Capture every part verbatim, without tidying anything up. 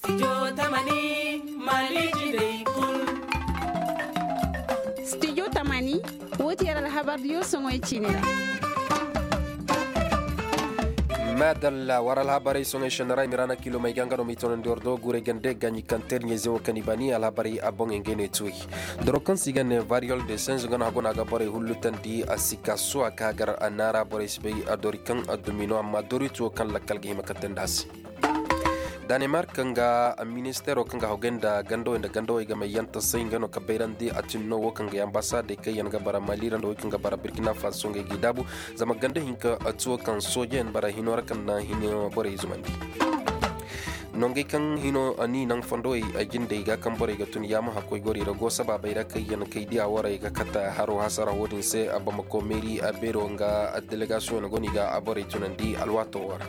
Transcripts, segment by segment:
Studio tamani, wo ti yar alhabar diyo soŋoy ciini ra. Maadalla war alhabarey soŋoy sendara i ma ra na kilo may ga nga no ma i tonandi war do guurey gande ga ɲi kaŋ teer ɲeeze wo kaŋ i baani alhabarey a boŋey ngey no i tuuyi. Doro kaŋ se i ga ne variyol de senz nga no hago no a ga borey hullutandi a si ka suwa ka gar a naara borey si bay a dori kaŋ a dumi no amma dori tuwo kaŋ lakkal ga hima ka tandi a se. Danemark nga ministeero kaŋ ga hawgay nda gandawey nda gandawey ga may yanta say nga no ka bayrandi a tinno wo kaŋ ga ambasadey kaŋ yaŋ ga bara mali ra nda wey kaŋ ga bara burkina faso ngey g'i daabu. Zama ganda hinka tuwo kaŋ soojeyaŋ bara hino ra kaŋ na hino borey zumandi. Nongey kaŋ hino ni naŋ fondowey a jindey ga kaŋ borey ga tun yaama hakkoy goro i ra go sabaabey ra kaŋ yaŋ kay diya warey ga kata haro hasara wo-din se a bamako meeri a beero nga delegasiyoŋ go no i ga a borey tunandi alwaato wo ra.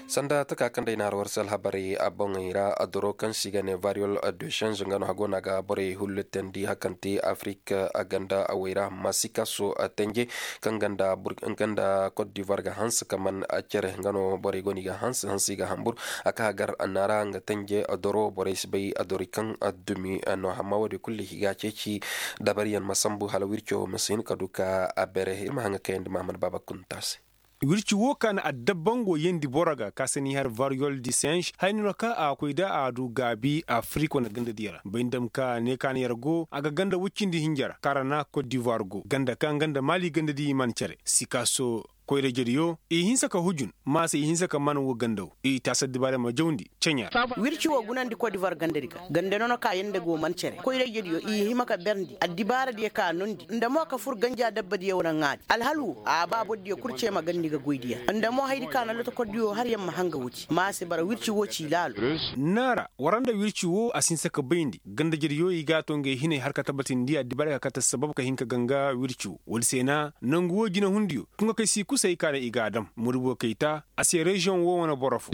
Sanda taka kaŋ day na har war se alhabarey a boŋey ra a doro kaŋ se i ga ne variyol de change nga no hago no a ga borey hullitandi hakante afrik a ganda awey ra masikaso a tenje kaŋ ganda cote d'ivoire ga hanse ka man a cere nga no borey go no i ga hanse hanse i ga hambur a ka hagar a naara nga tenje a doro borey si bay a dori kaŋ a dumi no hamma wo-din kulu i ga ceeci dabariyaŋ ma sambu hala wirco ma si hin ka du ka a bere ir ma haŋa kayandi mahamad baaba kunta se. Wirci wo ka na adabbango yeendi boro ga ka se ni har variyol di senš hayni no ka a koy da a du gaabi afrik wane ganda diya ra bay ni dam ka ne ka na yar go a ga ganda woy cindi hinja ra kaŋ ra na kot divoir go ganda kaŋ ganda maali ganda di man cere sikaso koyra jediyo i hinsa ka hujun ma se i hinsa ka man wo ganda wo i taasa dibaare ma jawndi ceɲa ra. Wirci wo gunandi kot divoir ganda di ga ganda no na ka yanda go man cere koyra jediyo i hima ka berndi addibaara diya ka nondi nda mo ka fur ganja dabba diya wane ŋaadi alhal wo a ba boro diya kul ce ma gandi ga goy diya nda mo hayadi ka na lotokordiyo har yaŋ ma hanga wuci ma a si bara wirci wo ci laalo. Naara wara nda wirci wo a si hinsa ka bayndi ganda jediyo i ga a to ngey hinay har ka tabatindi addibaara ka kate sabab ka hin ka ganga wirci wo woodi se na nangu wo jinahundiyo tunga kay si kusay ka na i ga a dam murubo kay ta a se reziyoŋ wo wane boro fo.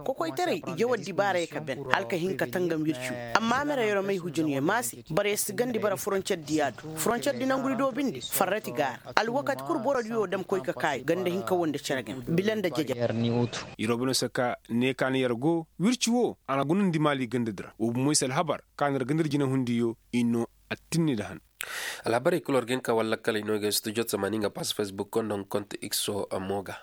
Kokoytaray i jaw addibaarey ka ben hala ka hin ka tangam wirci wo amma mere yeromey hujunyo ma se boro yer si gandi bara foroncer diya do foroncer di nangudi do binde farrati ga a ra alwakati kul borodiyo dam koy ka kaayu ganda hinka wo nda cere game bila nda jeje. Yerobino se ka ne ka na yer go wirci wo a na gunandi maali gandadi ra wo bumoy se alhabar ka na yer gandadi jinahundiyo i no attinni nda han. Alhabarey kul war ga hin ka walla kala i no ga studio tamani nga pas facebook konda hunkont ikso mo ga.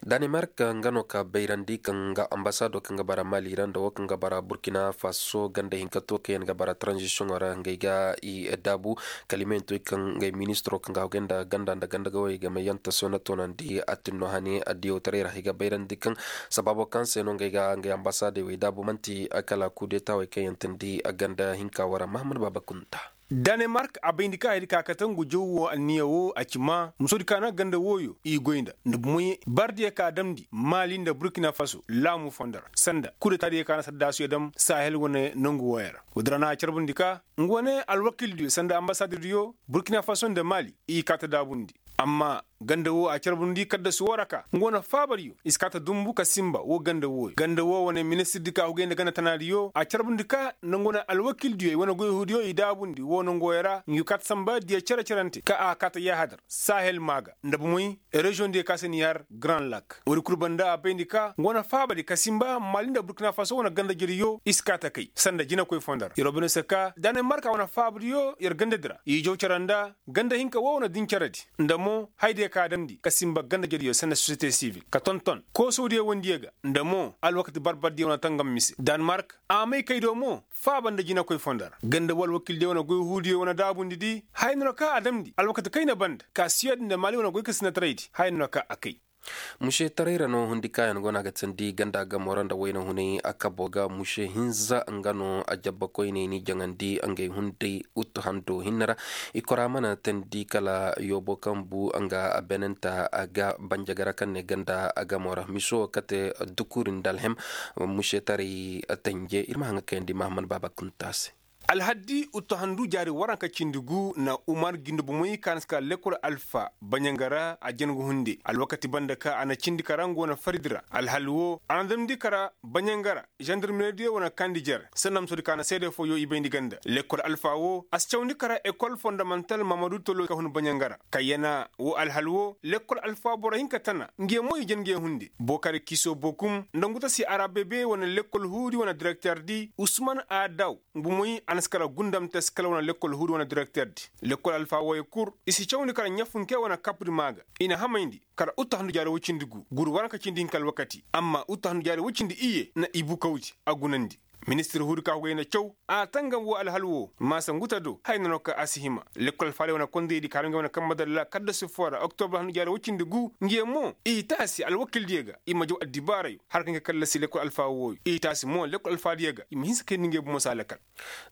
Danemark nga no ka bayrandi kaŋ ga ambasado kaŋ ga bara mali ra nda wo kaŋ ga bara burkina faso ganda hinka to kaŋ yaŋ ga bara transition ra ngey ga i daabu kalimayaŋ to kaŋ ngey ministiro kaŋ ga hawgay nda ganda nda ganda gawey ga may yaŋ taso na tonandi a tinno hane addiyotaray ra i ga bayrandi kaŋ sababo kaŋ se no ngey ga ngey ambasadey wey daabu manti kala kudetawey kaŋ yaŋ tindi ganda hinka wara mahamad baaba kunta. Danemark a bayndi ka haydi ka kate ngu jaw wo anniya wo a ci ma musodi ka na ganda wooyo i goy nda nda bumoy bardiya ka damndi mali nda burkina faso laamu fondo ra sanda kudetadiya ka na saddaasuya dam sahel wane nangu wooyo ra woodi ra na a carbundi ka nga wane alwakildiyo sanda ambasaddiyo burkina faso nda mali i kaata daabundi. Amma ganda wo a carbundi kaddasu wo ra ka nga wane faabadiyo i si kaata dumbu ka sinba wo ganda wooyo ganda wo wane ministirdi ka hugay nda ganda tanaadiyo a carbundi ka nda nga wane alwakildiyo i wane goy huudiyo i daabundi wo nongoyo ra ngi kaata sanba diya cere-cerante ka a kaata yaahadar sahel maaga nda bumoy reziyoŋ diyo ka se ni har grand lak woodi kul banda a bayndi ka nga wane faabadi ka sinba mali nda burkina faso wane ganda jediyo i si kaata kay sanda jinakoy fondo ra yeroo bine se ka danemarka wane faabadiyo yer gandadi ra i jaw cere nda ganda hinka wo wane din ceredi nda mo haydiyo ka damndi ka sinba ganda jediyo sanda sosiyete sivil ka tonton koosowdiyo wandiyo ga nda mo alwakati barbardiyo wane tangam mise danemark a may kay do mo faaba nda jinakoy fondo ra ganda wo alwakildiyo wane goy huudiyo wane daabundi di haya no ka a damndi alwakati kayna banda ka siyad nda mali wane goy ka sinataraydi haya no ka a kay. Muse taray ra no hundi kaayaŋ go no a ga tindi ganda gamo ra nda wayna hunay a kabo ga muse hinza nga no a jabba koyney ni jaŋandi ngey hunday uttu hando hinne ra. I kora mana tindi kala yoobo kaŋ bu nga a benenta a ga banjagara kaŋ ne ganda gamo ra miso kate dukuri nda alhem. Muse taray tanje ir ma haŋa kayandi mahammad baaba kunta se. Alhaddi uttahandu jaari waranka cindi gu na umar gindi bomoy ka na si kara lekkol alfa baɲanga ra a jangu hunde alwakati banda ka a na cindi ka ra nga wane faridi ra alhal wo a na damndi ka ra baɲanga ra. Zandarmeeridiyo wane kandi jer sanna ma soodi ka na seede fooyo i bayndi ganda lekkol alfa wo a si cawndi ka ra ekol fondamantal mamadu tolo ka hun baɲanga ra kayyana wo alhal wo lekkol alfa boro hinka tana nge mo i jan nge hunde bokari kiso bokum nda ngu ta si arabebe wane lekkol huudi wane direkterdi usman adaw. Ngu moy a na si kara gundam te si kala wane lekkol huudi wane direkterdi lekkol alfa woy kur i si cawndi kara ɲafunke wane kapdi maa ga i na hamayndi kara uttahandu jaari woy cindi gu guru waranka cindi hinka alwakati amma uttahandu jaari woy cindi iyye na i bukawdi a gunandi. Ministir huudi ka hugay na caw a tangam wo alhal wo maasa ngu ta do haya na no ka a si hima lekkol alfaadiyo wane kondaydi ka har ngey wane kambe dalla kaddasi foo ra oktobra handu jaari woy cindi gu nge mo i taasi alwakildiyo ga i ma jaw addibaarayo har ka ngey kallasi lekkol alfa wooyo i taasi mo lekkol alfaadiyo ga i ma hinsa kayndi ngey bomo se alakal.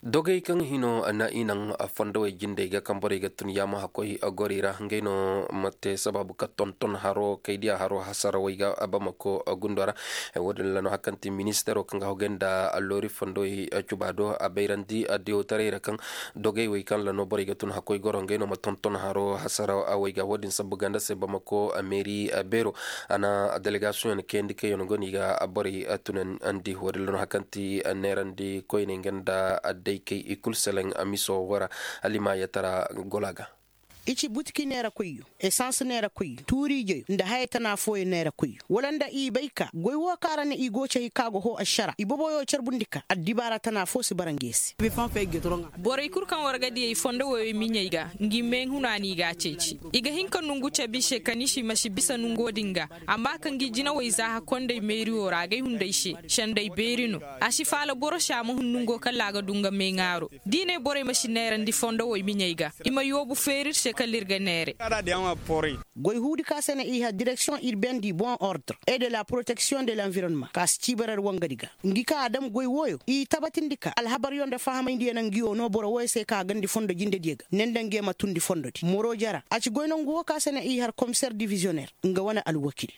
Dogey kaŋ hino na i naŋ fondowey jindey ga kaŋ borey ga tun yaama hakkoy gori ra ngey no ma te sabaabu ka tonton haro kay diya haro hasarawey ga bamako gundo ra. Wo- din ra no hari kaŋ ti ministero kaŋ ga hogay nda loori fondowey cuba do a bayrandi diyawtaray ra kaŋ dogey wey kaŋ ra no borey ga tun hakkoy goro ngey no ma tonton haro hasarawey ga wo- din sabbu ganda se bamako meeri beero a na delegasiyoŋ kayandi kaŋ yaŋ go no i ga borey tunandi wo- din ra no hari kaŋ ti neerandi koyney nga nda adday kay i kulu seleŋ miso wo ra. Hala i ma yatara gola ga. I ci butiki neerakoyyo esans neerakoyyo tuuriijeyo nda haya tana fooyo neerakoyyo wala nda i bay ka goy wo kaŋ ra ne i go cay ka go hoo ašara i boboyo carbundi ka addibaara tana foo si bara nge se. Borey kul kaŋ war ga diyey fondo woyey miɲey ga ngi meehuna no i g'a ceeci. I ga hin ka nongu cabe i se kaniisi ma si bisa nongo din ga. Amma ka ngi jinawey zaaha kondey meeriyo ra agay hunday se. Sendey beeri no. A si faala boro se a ma hun nongo kala a ga du nga meeŋaaro. Da i ne borey ma si neerandi fondowey miɲey ga i ma yoobu feeri ir se kala ir ga neere. Goy huudi ka se na i har direksiyoŋ urbaine du bon ordre et de la protection de l'environnement ka si ciibarar wangadi ga. Ngi ka a dam goy wooyo i tabatindi ka alhabaryo nda fahamayndiyo na ngi woo no boro wooyo se ka a gandi fondo jindediyo ga ne nda nge ma tundi fondodi moroja ra a ci goy nongu woo ka se na i har komiseer diviziyoneer nga wane alwakil.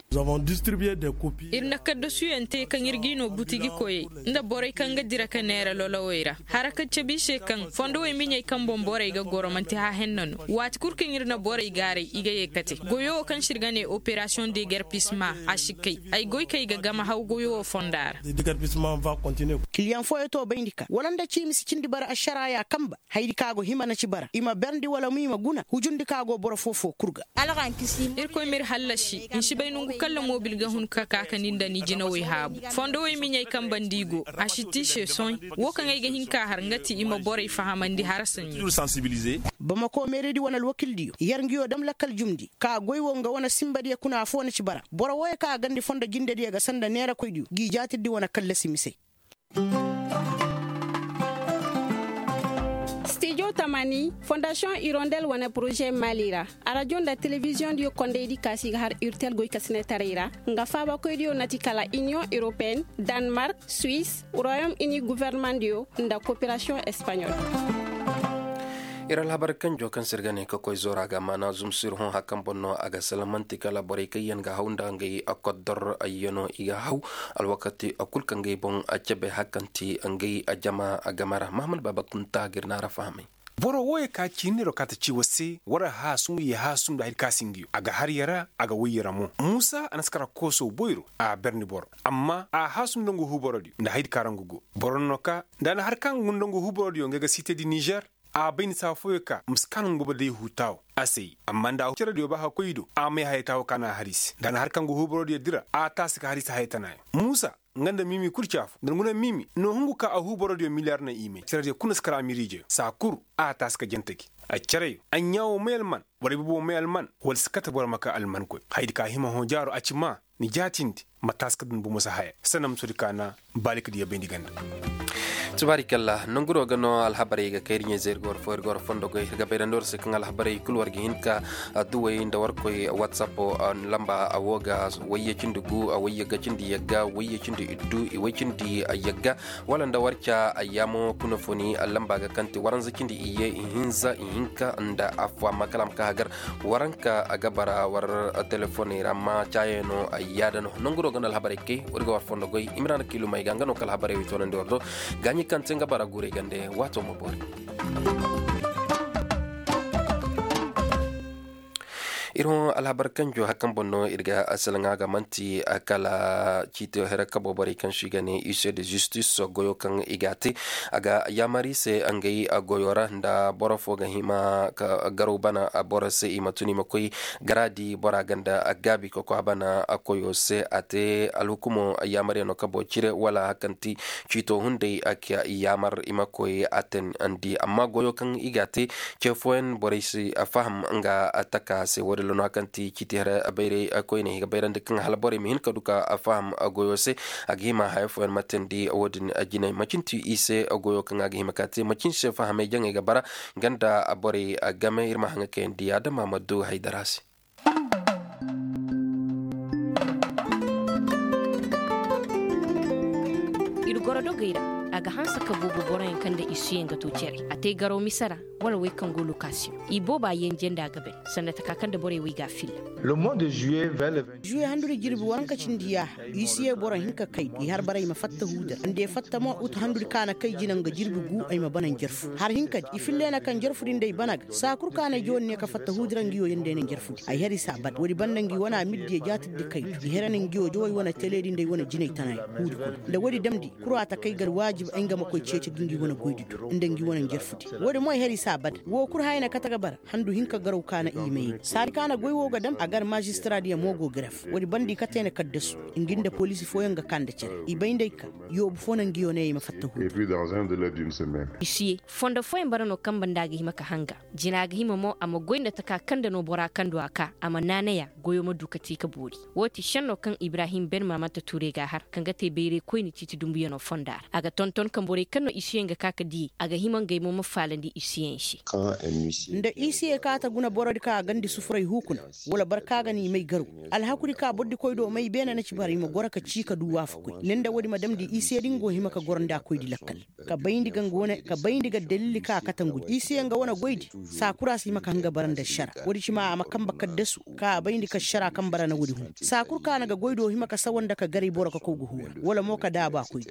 Ir na kaddasuyaŋ te kaŋ ir g'i no butigi koyey nda borey kaŋ ga dira ka neera lolowey ra. Hara kaŋ cabe i se kaŋ fondowey miɲey kaŋ boŋ borey ga goro manti haahenna no. Waati kul kaŋ ir na borey gaaray i ga ye kate goyo wo kaŋ se ir ga ne operasiyoŋ degerpisma a si kay. Ay goy kay ga gama haw goyo wo fonda ra. Kiliyaŋ fooyo to bayndi ka wala nda ciimi si cindi bara ašaraaya kamba. Hayadi ka go hima na ci bara i ma berndi wala mo i ma guna hujundi ka go boro foo-foo kul ga. Irkoy m'ir hallasi. Ni si bay nongu kala moobil ga hun ka ka ka ni nda ni jinawey haabu. Fondowey miɲey kaŋ banda i go a si ti i se sohõ. Wo kaŋ ay ga hin ka har nga ti i ma borey fahamandi hara saɲɲo. Bamako meeridi wane alwakildiyo yer nguyo dam lakkal jumndi ka goy wo nga wane sinbadiyo kuna afoo na ci bara boro wooyo kaŋ a gandi fondo jindediyo ga sanda neerakoydiyo g'i jaatirdi wane kallasi misey. Stijo tamani fondasiyoŋ irondel wane poroze mali ra. Arajo nda telebiziyoŋdiyo kondaydi kaasi ga har urtel goykasinetaray ra nga faabakoydiyo na ti kala iniyoŋ europeen, danmark, suwis, royom ini gofornemandiyo nda koperasiyoŋ espaɲol. Ir alhabar kanjo kaŋ se ir ga ne ka koy zoora ga maana zumsir hõ hari kaŋ boŋ no a ga salaŋ man'ti kala borey kaŋ yaŋ ga haw nda ngey koddor yaŋo i ga haw. Alwakati kul kaŋ ngey boŋ cabe hari kaŋ ti ngey jama game ra mahammad baaba kunta ga ir naara fahamay. Boro wooyo ka ciiniro kaata ci war se war haasum ye haasum nda hari ka si nga yo a ga har ya ra a ga way ya ra mo muusa a na si kara kooso boyro a berni boro. Amma a haasum nda nga huuborodiyo nda hayadi ka ra nga go boro no ka nda a na har kaŋ ngu nda nga huuborodiyo ngey ga siitedi nizer. A bay ni saa fooyo ka ma si kaa no nga boro day huu taawo a se. Amma nda a huu cerediyo ba ka koy i do a may haya taawo ka na a har i se nda a na har kaŋ ngu huuborodiyo dira a taasi ka har i se haya tanaayo. Muusa nga nda miimi kul caafu nda ngu na miimi no hungu ka a huuborodiyo miliyar na i may cerediyo kul na si kara miiriijeyo saa kul. A taasi ka jante gi a cere yo a ɲaa wo may alman wala ay bobo wo may alman wala si kate boro ma ka almankoy hayadi ka hima hõ jaaro a ci maa. Ni jaatindi ma taasi ka dun bomo si haya sanna ma soodi ka na baalikadiyo bayndi ganda. Tubaarikalla nonguro ga no alhabarey ga kay ir ɲayze ir ga war fo ir ga war fondo goy ir ga bayrandi war se kaŋ alhabarey kul war ga hin ka duwey nda war koy whatsapp lamba a wo ga wayye cindi gu a wayye ga cindi yagga wayye cindi iddu i way cindi yagga wala nda war ca ayyaamo kuna funi lamba ga kaŋ ti waranza cindi iyye ihinza ihinka nda afo amma kala a ma ka Gar waranka a ga bara war telefoney ra amma caaye no ay yaada no nangu do ga no alhabarey kay war ga war fondo goy imrana kiilumey ga nga no ka alhabarey wey toonandi war do. Gaaɲi kaŋ te nga bara guurey gande waato ma boori. Ir hõ alhabar kanjo hari kaŋ boŋ no ir ga asalaŋa ga manti kala ciiti hera kabo borey kaŋ se i ga ne use de zistis goyo kaŋ i ga a te. A ga yaamar i se ngey goyo ra nda boro fo ga hima ka garaw bana boro se i ma tun i ma koy garaadi bora ganda gaabi ka koy a bana koyo se a te alhukumo yaamar yaŋ no kabo cire wala hari kaŋ ti ciito hunday a ka yaamar i ma koy a ten andi amma goyo kaŋ i ga a te ce fooyaŋ borey si faham nga taka se wo- din ra no hari kaŋ ti ciiti hara bayray koyne i ga bayrandi kaŋ hala borey ma hin ka du ka faham goyo se. A ga hima haya fooyaŋ ma teendi wo- din jinay macin ti i se goyo kaŋ a ga hima ka te macin se fahamay jaŋey ga bara ganda borey game ir ma haŋa kayandi adama ma du haydara se. Ir goro dogey ra a ga hanse ka boobo boroyaŋ kaŋ nda isuyaŋ ga to cere a te garaw mise ra wala wey kaŋ go lokasiyoŋ i booba yenje nda a ga bay sanda taka kaŋ nda borey wey ga a filla. Zuwe handudi jirbi waranka cindi yaaha isuye boro hinka kay i har bara i ma fatta huuda nda i fatta mo utu handudi ka na kay jina nga jirbi gu ay ma bana njarfu har hinkadi i filla i na kaŋ njarfudi nda ay bana ga saa kul ka na ay jawandi ne ka fatta huudi ra ngi wo yaŋ day na njarfudi ay har i si a bada woodi banda ngi wane a ma ir diya jaatirdi kaydu i har i na ngi wo jawey wane teleedi nda ay wane jinay tana yaŋ huudi kul nda woodi damndi kul a ta kay gar waajib ay nga ma koy ceeci ga ngi wane goydi du nda ngi wane njarfudi woodi mo ay har i si a bada woo kul haya na kate ga bara handu hinka garaw ka na i may saadi ka na goy woo ga dam a gar maazistiraadi yaŋ mo go gref woodi banda i kate na kaddasu ngi nda poliisi fooyaŋ ga kaa nda cere i bay nda ay ka yoobu foo na ngi yo ne ay ma fatta huudi. Isuye fondo fooyaŋ bara no kaŋ banda a ga hima ka hanga jina ga hima mo a ma goy nda taka kaŋ nda no bora kaŋ du a ka a ma naanay a goyo ma du ka te ka boori. Woo ti šenno kaŋ ibrahim ben maamanta tuuray ga a har kaŋ ga te bayray koyne ciiti dumbuyano fonda ra a ga tonton kaŋ borey kaŋ no isuyaŋ ga ka ka diyey a ga hima ngey mo ma faalandi isuyaŋ se. Nda isuye ka ta guna borodi kaŋ a gandi sufuray huukuna wala boro kaŋ a ga n'i may garaw alhakudi ka borodi koy do may beene na ci bara i ma goro ka cii ka du waafakoy ne nda woodi ma damndi isuye da nga go hima ka goro nda koydi lakkal ka bayndi ga nga wane ka bayndi ga dalili kaŋ a kate ngu isuye nga wane goydi saa kul a si hima ka hanga bara nda šara woodi ci ma a ma kambe kaddasu kaŋ a bayndi ka šara kaŋ bara na woodi hun saa kul kaŋ a na ga goy do hima ka sawa nda ka garay boro ka koy ga huura wala mo ka daabu a koydi.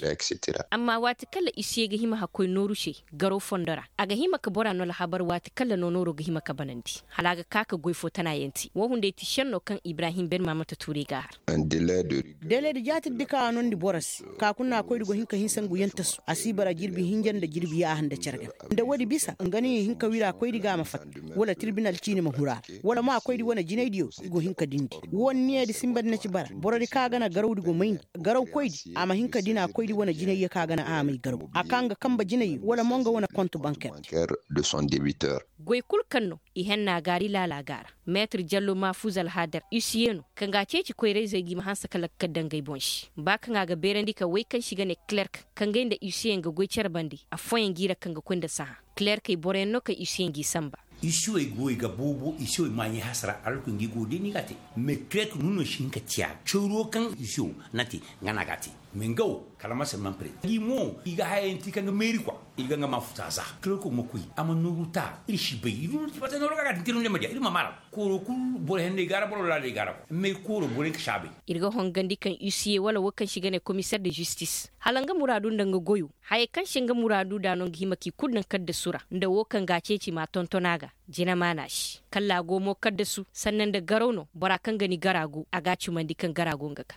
Amma waati kala isuye ga hima hakkoy nooru se garaw fondo ra a ga hima ka bora no alhabar waati kala no nooro ga hima ka banandi hala a ga ka ka goy fo tana yaŋ te woo hunday ti šenno kaŋ ibrahim ben maamanta tuuray ga a har. Deleedi jaatirdi kaŋ a noondi boro se ka kuna koydi go hin ka hinsa ngu yaŋ tasu a si bara jirbi hinja nda jirbi yaaha nda cere game nda woodi bisa nga no i hin ka wira koydi ga a ma fatta wala tirbinal ciini ma huru a ra wala mo a koydi wane jinaydiyo i go hin ka dindi woo niyeedi sinbadi na ci bara borodi kaŋ a ga na garawdi go mayndi garaw koydi a ma hin ka dina koydi wane jinayyo kaŋ a ga na a may garaw a ka nga kambe jinayyo wala mo nga wane kont banker. Goy kul kaŋ no i henna gaari laala ga a ra. Meetir jallo mahfuz alhadar isuye no kaŋ ga a ceeci koyrayzey ga i ma hanse ka lakkal daŋ ngey boŋ se ba kaŋ a ga beerandi ka wey kaŋ se i ga ne klerk kaŋ ngey nda isuye nga goy cere bande affooyaŋ g'i ra kaŋ ga koy nda sahã klerkey boroyaŋ no kaŋ isuye g'i sanba. Isuye goy ga boobo isuye maaɲey hasara alku ngi go day no i ga a te. Mais klerk no no si hin ka ciya cawro kaŋ isuye na te nga no a ga a te. Mais nga wo kala ma se man pere i mo i ga hayayaŋ te kaŋ ga meeri kwa i ga nga ma futa za kala ko ma koy a ma nooru ta ir si bay ir ma nooru ga ga tintiru ne ma diya ir ma mara kooro kul boro henney ga ra boro laaley ga ra kwa mais kooro boro ka saabay. Ir ga hongandi kaŋ isuye wala wo kaŋ se i ga ne komiseer de zistis hala nga muraadu nda nga goyo hayey kaŋ se nga muraadu da no nga hima k'i kulu daŋ kaddasu ra nda wo kaŋ ga a ceeci m'a tonton a ga. Jina maana se kala a go mo kaddasu sanna nda garaw no bora kaŋ ga ni gara go a ga a cumandi kaŋ gara go nga ga.